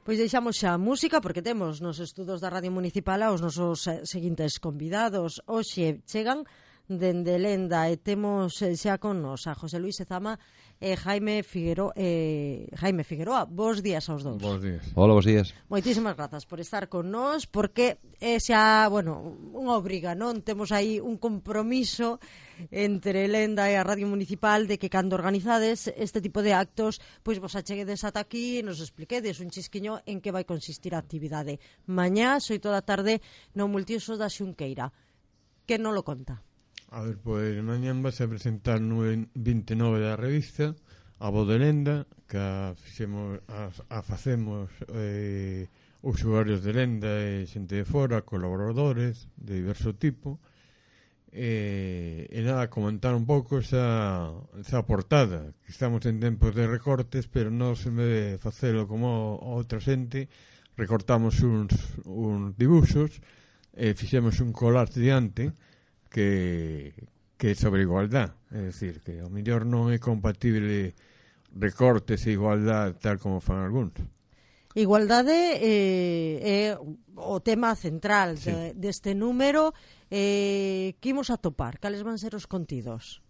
Pois deixamos xa a música porque temos nos estudos da Radio Municipal aos nosos seguintes convidados. Hoxe chegan dende Lenda e temos xa con nos a José Luis Ezama e Jaime Figueroa. Bos días aos dous. Bos días. Hola, bos días. Moitísimas grazas por estar con nós porque é xa, unha obriga, non? Temos aí un compromiso entre Lenda e a Radio Municipal de que cando organizades este tipo de actos, pois vos acheguedes ata aquí e nos expliquedes un chisquiño en que vai consistir a actividade. Mañá, 8 da tarde, no multiusos da Xunqueira. Que non lo conta? A ver, pois mañán vas a presentar no 29 da revista a Voz de Lenda, que a facemos usuarios de Lenda e xente de fora, colaboradores de diverso tipo. E nada, comentar un pouco esa portada, que estamos en tempos de recortes, pero non se me debe facelo como outra xente. Recortamos uns dibuxos e fixemos un collage diante que é sobre igualdad, é dicir, que ao mellor non é compatible recortes e igualdad tal como fan algúns. Igualdade é o tema central deste número. Que imos a topar? Cales van ser os contidos?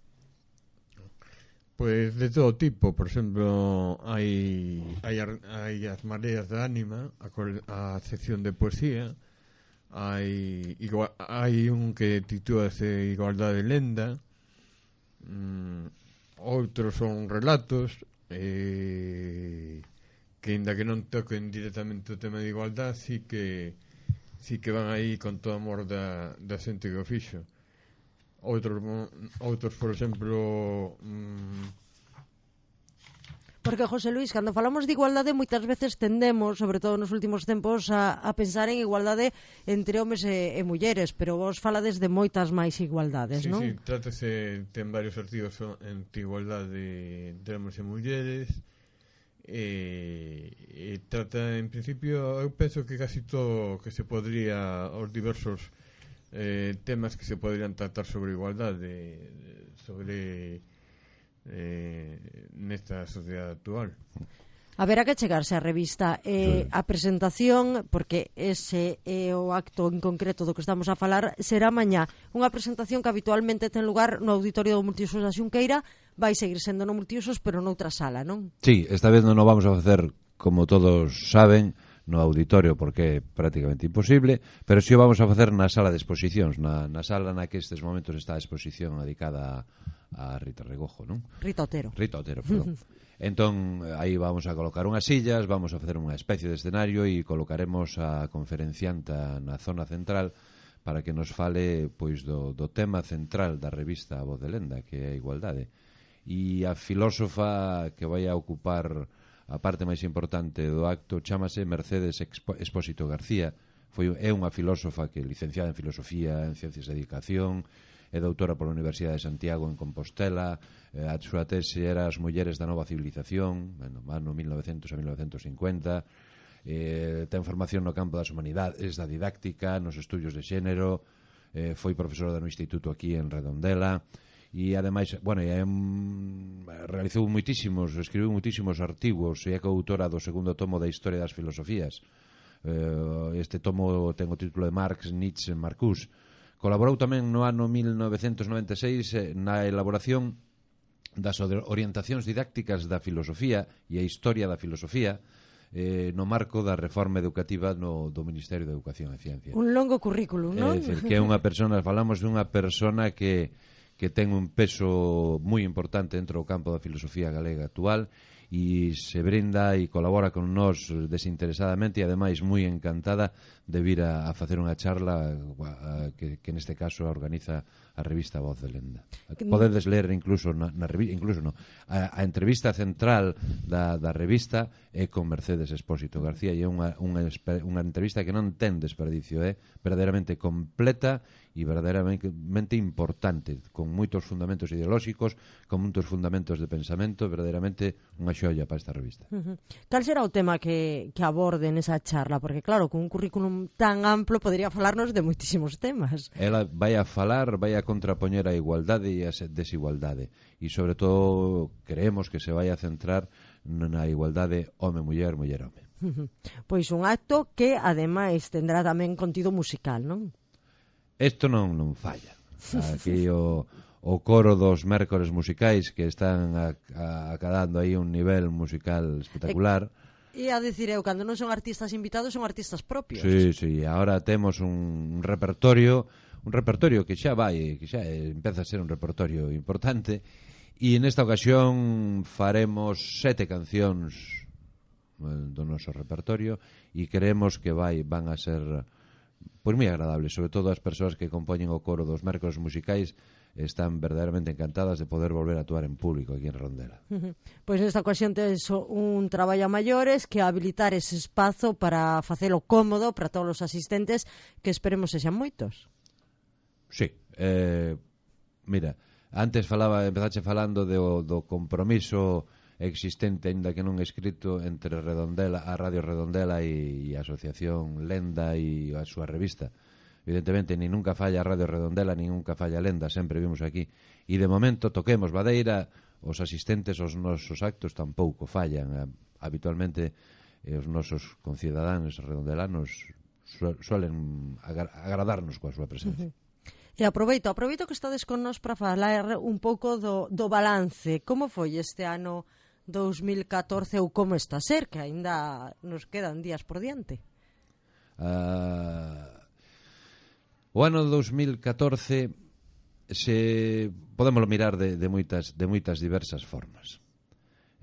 Pois de todo tipo. Por exemplo, hai as mareas de ánima, a sección de poesía. Hai un que titúlase Igualdade Lenda. Outros son relatos que ainda que non toquen directamente o tema de igualdade, sí que van aí con todo amor da xente que o fixo. Outros por exemplo, porque, José Luis, cando falamos de igualdade moitas veces tendemos, sobre todo nos últimos tempos, a pensar en igualdade entre homes e mulleres, pero vos falades de moitas máis igualdades, non? Sí, ten varios artigos entre igualdade entre homes e mulleres, e trata, en principio, eu penso que casi todo que se podría, os diversos temas que se podrían tratar sobre igualdade, sobre nesta sociedade actual. Haberá que chegarse á revista. A presentación, porque ese é o acto en concreto do que estamos a falar, será mañá. Unha presentación que habitualmente ten lugar no auditorio do Multiusos da Xunqueira. Vai seguir sendo no Multiusos, pero noutra sala, non? Sí, esta vez non o vamos a facer, como todos saben, no auditorio, porque é prácticamente imposible, pero si o vamos a facer na sala de exposicións, na sala na que estes momentos está a exposición dedicada a Rita Regojo, non? Rita Otero, perdón. Entón, aí vamos a colocar unhas sillas, vamos a facer unha especie de escenario e colocaremos a conferencianta na zona central para que nos fale pois do tema central da revista A Voz de Lenda, que é a igualdade. E a filósofa que vai a ocupar a parte máis importante do acto chámase Mercedes Expósito García. É unha filósofa que é licenciada en Filosofía, en Ciencias de Educación, é doutora pola Universidade de Santiago en Compostela. A súa tese era As mulleres da nova civilización, ano 1900 a 1950. Ten formación no campo das humanidades, da didáctica, nos estudios de xénero, foi profesora no instituto aquí en Redondela. E ademais, realizou escribiu moitísimos artigos e é coautora do segundo tomo da Historia das Filosofías. Este tomo ten o título de Marx, Nietzsche, Marcuse. Colaborou tamén no ano 1996 na elaboración das orientacións didácticas da filosofía e a historia da filosofía no marco da reforma educativa do Ministerio de Educación e Ciencia. Un longo currículum, non? É dicir, que é unha persona, falamos dunha persona que ten un peso moi importante dentro do campo da filosofía galega actual e se brinda e colabora con nós desinteresadamente e ademais moi encantada de vir a facer unha charla que neste caso organiza a revista Voz de Lenda. Podedes ler incluso a entrevista central da revista é con Mercedes Expósito García e é unha entrevista que non ten desperdicio, é verdadeiramente completa e verdadeiramente importante, con moitos fundamentos ideolóxicos, con moitos fundamentos de pensamento, verdadeiramente unha xoia para esta revista. Cal será o tema que aborde nesa charla? Porque claro, con un currículum tan amplo podría falarnos de moitísimos temas. Ela vai a contrapoñer a igualdade e a desigualdade e sobre todo creemos que se vai a centrar na igualdade home-muller, muller-home. Pois un acto que, ademais, tendrá tamén contido musical, non? Isto non falla. Aquí o coro dos mércores musicais que están acadando aí un nivel musical espectacular. E a dicir eu, cando non son artistas invitados, son artistas propios. Sí, agora temos un repertorio que xa empeza a ser un repertorio importante, e nesta ocasión faremos 7 cancións do noso repertorio e creemos que van a ser pois moi agradables, sobre todo as persoas que compoñen o coro dos mércores musicais están verdadeiramente encantadas de poder volver a actuar en público aquí en Redondela. Pois nesta ocasión tes un traballo a maiores que habilitar ese espazo para facelo cómodo para todos os asistentes, que esperemos sexan moitos. Sí, mira, antes empezache falando do compromiso existente, aínda que non escrito, entre Redondela, a Radio Redondela e a Asociación Lenda e a súa revista. Evidentemente, ni nunca falla a Radio Redondela, ni nunca falla Lenda, sempre vimos aquí. E de momento toquemos Badeira, os asistentes aos nosos actos tampouco fallan. Habitualmente, os nosos concidadáns redondelanos suelen agradarnos coa súa presencia. E aproveito que estades con nós para falar un pouco do balance. Como foi este ano 2014 ou como está a ser, que aínda nos quedan días por diante? O ano 2014 podemos mirar de moitas diversas formas.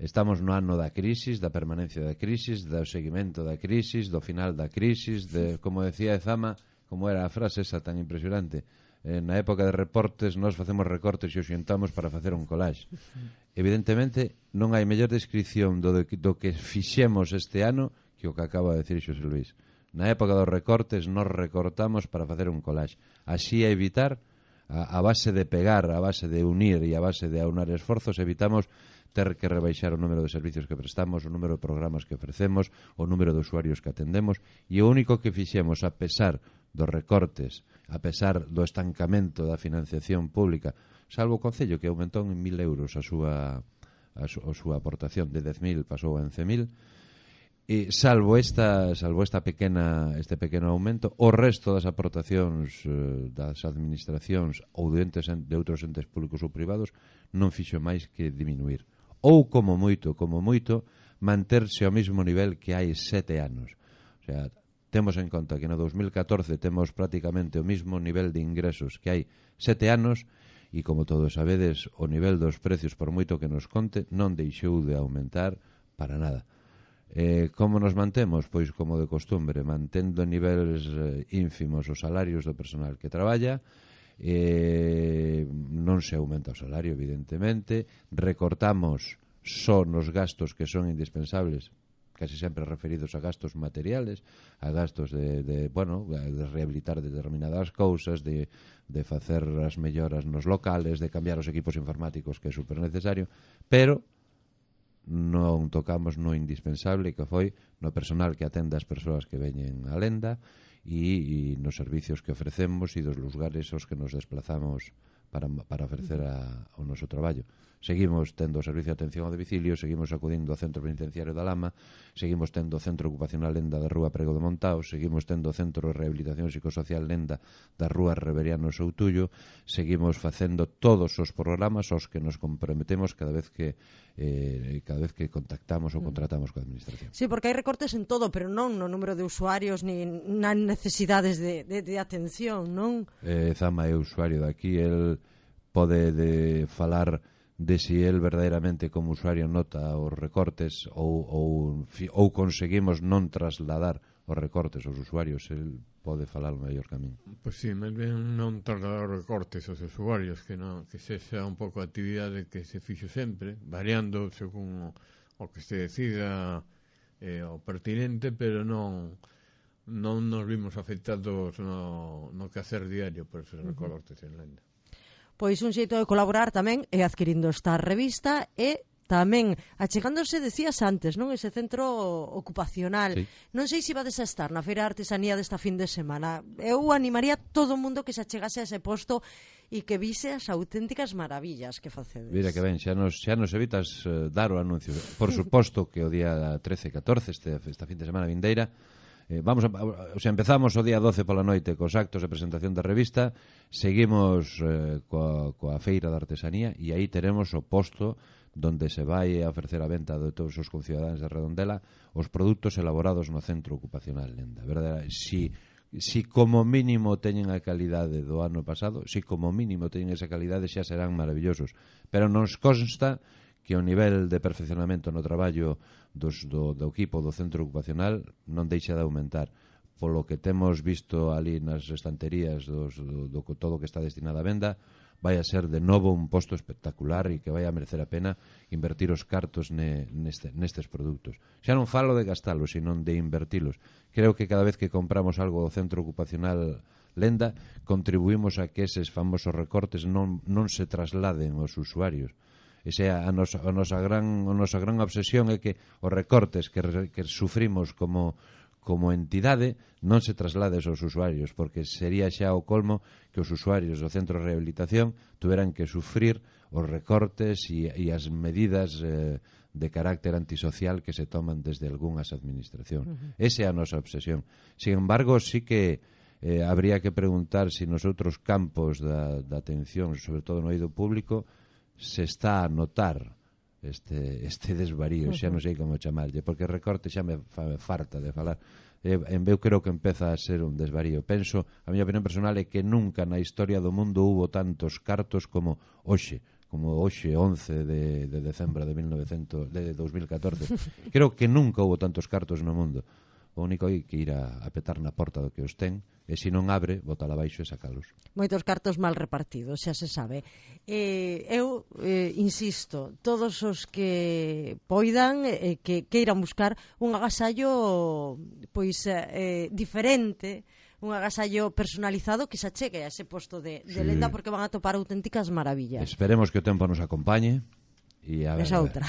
Estamos no ano da crisis, da permanencia da crisis, do seguimento da crisis, do final da crisis, como decía Ezama, como era a frase esa tan impresionante, na época de reportes nós facemos recortes e os xuntamos para facer un collage. Evidentemente non hai mellor descripción do que fixemos este ano que o que acaba de decir Xosé Luis. Na época dos recortes nós recortamos para facer un collage, así a evitar a base de pegar, a base de unir e a base de aunar esforzos, evitamos ter que rebaixar o número de servicios que prestamos, o número de programas que ofrecemos, o número de usuarios que atendemos, e o único que fixemos, a pesar dos recortes, a pesar do estancamento da financiación pública, salvo o Concello que aumentou en 1.000 euros a súa aportación, de 10.000 pasou a 11.000, e salvo este pequeno aumento, o resto das aportacións das administracións ou de outros entes públicos ou privados non fixo máis que diminuir, ou como moito manterse ao mesmo nivel que hai 7 anos. O sea, temos en conta que no 2014 temos prácticamente o mesmo nivel de ingresos que hai 7 anos, e como todos sabedes, o nivel dos precios, por moito que nos conte, non deixou de aumentar para nada. Como nos mantemos? Pois como de costumbre, mantendo niveles ínfimos os salarios do personal que traballa, non se aumenta o salario, evidentemente, recortamos só nos gastos que son indispensables, casi sempre referidos a gastos materiales, a gastos de rehabilitar determinadas cousas, de facer as melloras nos locales, de cambiar os equipos informáticos, que é super necesario, pero non tocamos no indispensable, que foi no personal que atende as persoas que veñen a Lenda e nos servicios que ofrecemos e dos lugares aos que nos desplazamos para ofrecer o noso traballo. Seguimos tendo o servicio de atención ao domicilio, seguimos acudindo ao centro penitenciario da Lama, seguimos tendo o centro ocupacional Lenda da Rúa Prego de Montao, seguimos tendo o centro de rehabilitación psicosocial Lenda da Rúa Reveriano Soutullo, seguimos facendo todos os programas aos que nos comprometemos cada vez que contactamos ou contratamos coa administración. Sí, porque hai recortes en todo, pero non no número de usuarios ni nas necesidades de atención, non? Zama é usuario daqui, el pode falar de si el verdadeiramente como usuario nota os recortes ou conseguimos non trasladar os recortes aos usuarios. El pode falar o mellor camín. Pois sí, máis ben non trasladar os recortes aos usuarios, que sexa un pouco a actividade que se fixo sempre, variando según o que se decida o pertinente, pero non nos vimos afectados no quehacer diario por esos recortes en Lenda. Pois un xeito de colaborar tamén é adquirindo esta revista e tamén achegándose, decías antes, non, ese centro ocupacional. Sí. Non sei se vades a estar na Feira de Artesanía desta fin de semana. Eu animaría todo o mundo que se achegase a ese posto e que vise as auténticas maravillas que facedes. Mira que ben, xa nos evitas dar o anuncio. Por suposto que o día 13 e 14, esta fin de semana vindeira, empezamos o día 12 pola noite cos actos de presentación da revista, seguimos coa feira de artesanía e aí teremos o posto donde se vai a ofrecer a venta de todos os concidadáns de Redondela os produtos elaborados no centro ocupacional Lenda. Verdade? Si como mínimo teñen a calidade do ano pasado, si como mínimo teñen esa calidade, xa serán maravillosos. Pero nos consta que o nivel de perfeccionamento no traballo do equipo do centro ocupacional non deixa de aumentar. Polo que temos visto ali nas estanterías do todo que está destinado a venda, vai a ser de novo un posto espectacular e que vai a merecer a pena invertir os cartos nestes produtos. Xa non falo de gastalos, sino de invertilos. Creo que cada vez que compramos algo do centro ocupacional Lenda, contribuímos a que eses famosos recortes non se trasladen aos usuarios. Esa a nosa gran obsesión é que os recortes que sufrimos como entidade non se traslades aos usuarios, porque sería xa o colmo que os usuarios do centro de rehabilitación tuveran que sufrir os recortes e as medidas de carácter antisocial que se toman desde algunhas administracións. Esa é a nosa obsesión. Sin embargo, sí que habría que preguntar se nos outros campos da atención, sobre todo no eido público, se está a notar este desvarío, xa non sei como chamarlle, porque recorte xa me farta de falar. Eu creo que empeza a ser un desvarío. Penso, a miña opinión personal é que nunca na historia do mundo hubo tantos cartos como hoxe 11 de decembro de 2014. Creo que nunca hubo tantos cartos no mundo. O único é que ir a petar na porta do que os ten, e se non abre, botala abaixo e sacalos. Moitos cartos mal repartidos, xa se sabe. Eu insisto, todos os que poidan, que queiran buscar un agasallo pois diferente, un agasallo personalizado que se achegue a ese posto de Lenda, porque van a topar auténticas maravillas. Esperemos que o tempo nos acompañe. Esa outra.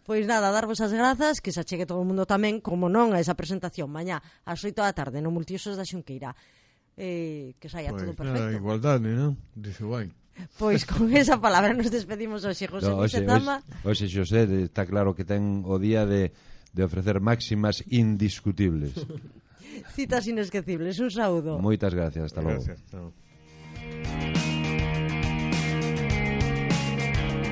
Pois nada, darvos as grazas, que se achegue todo o mundo tamén, como non, a esa presentación mañá ás 8 da tarde no Multiusos da Xunqueira. Que saia todo perfecto. Igualdade, non? Dice guai. Pois con esa palabra nos despedimos hoxe, José Luis Zama. Hoxe, Xosé, está claro que ten o día de ofrecer máximas indiscutibles. Citas inesquecibles, un saúdo. Moitas gracias, hasta logo. Gracias,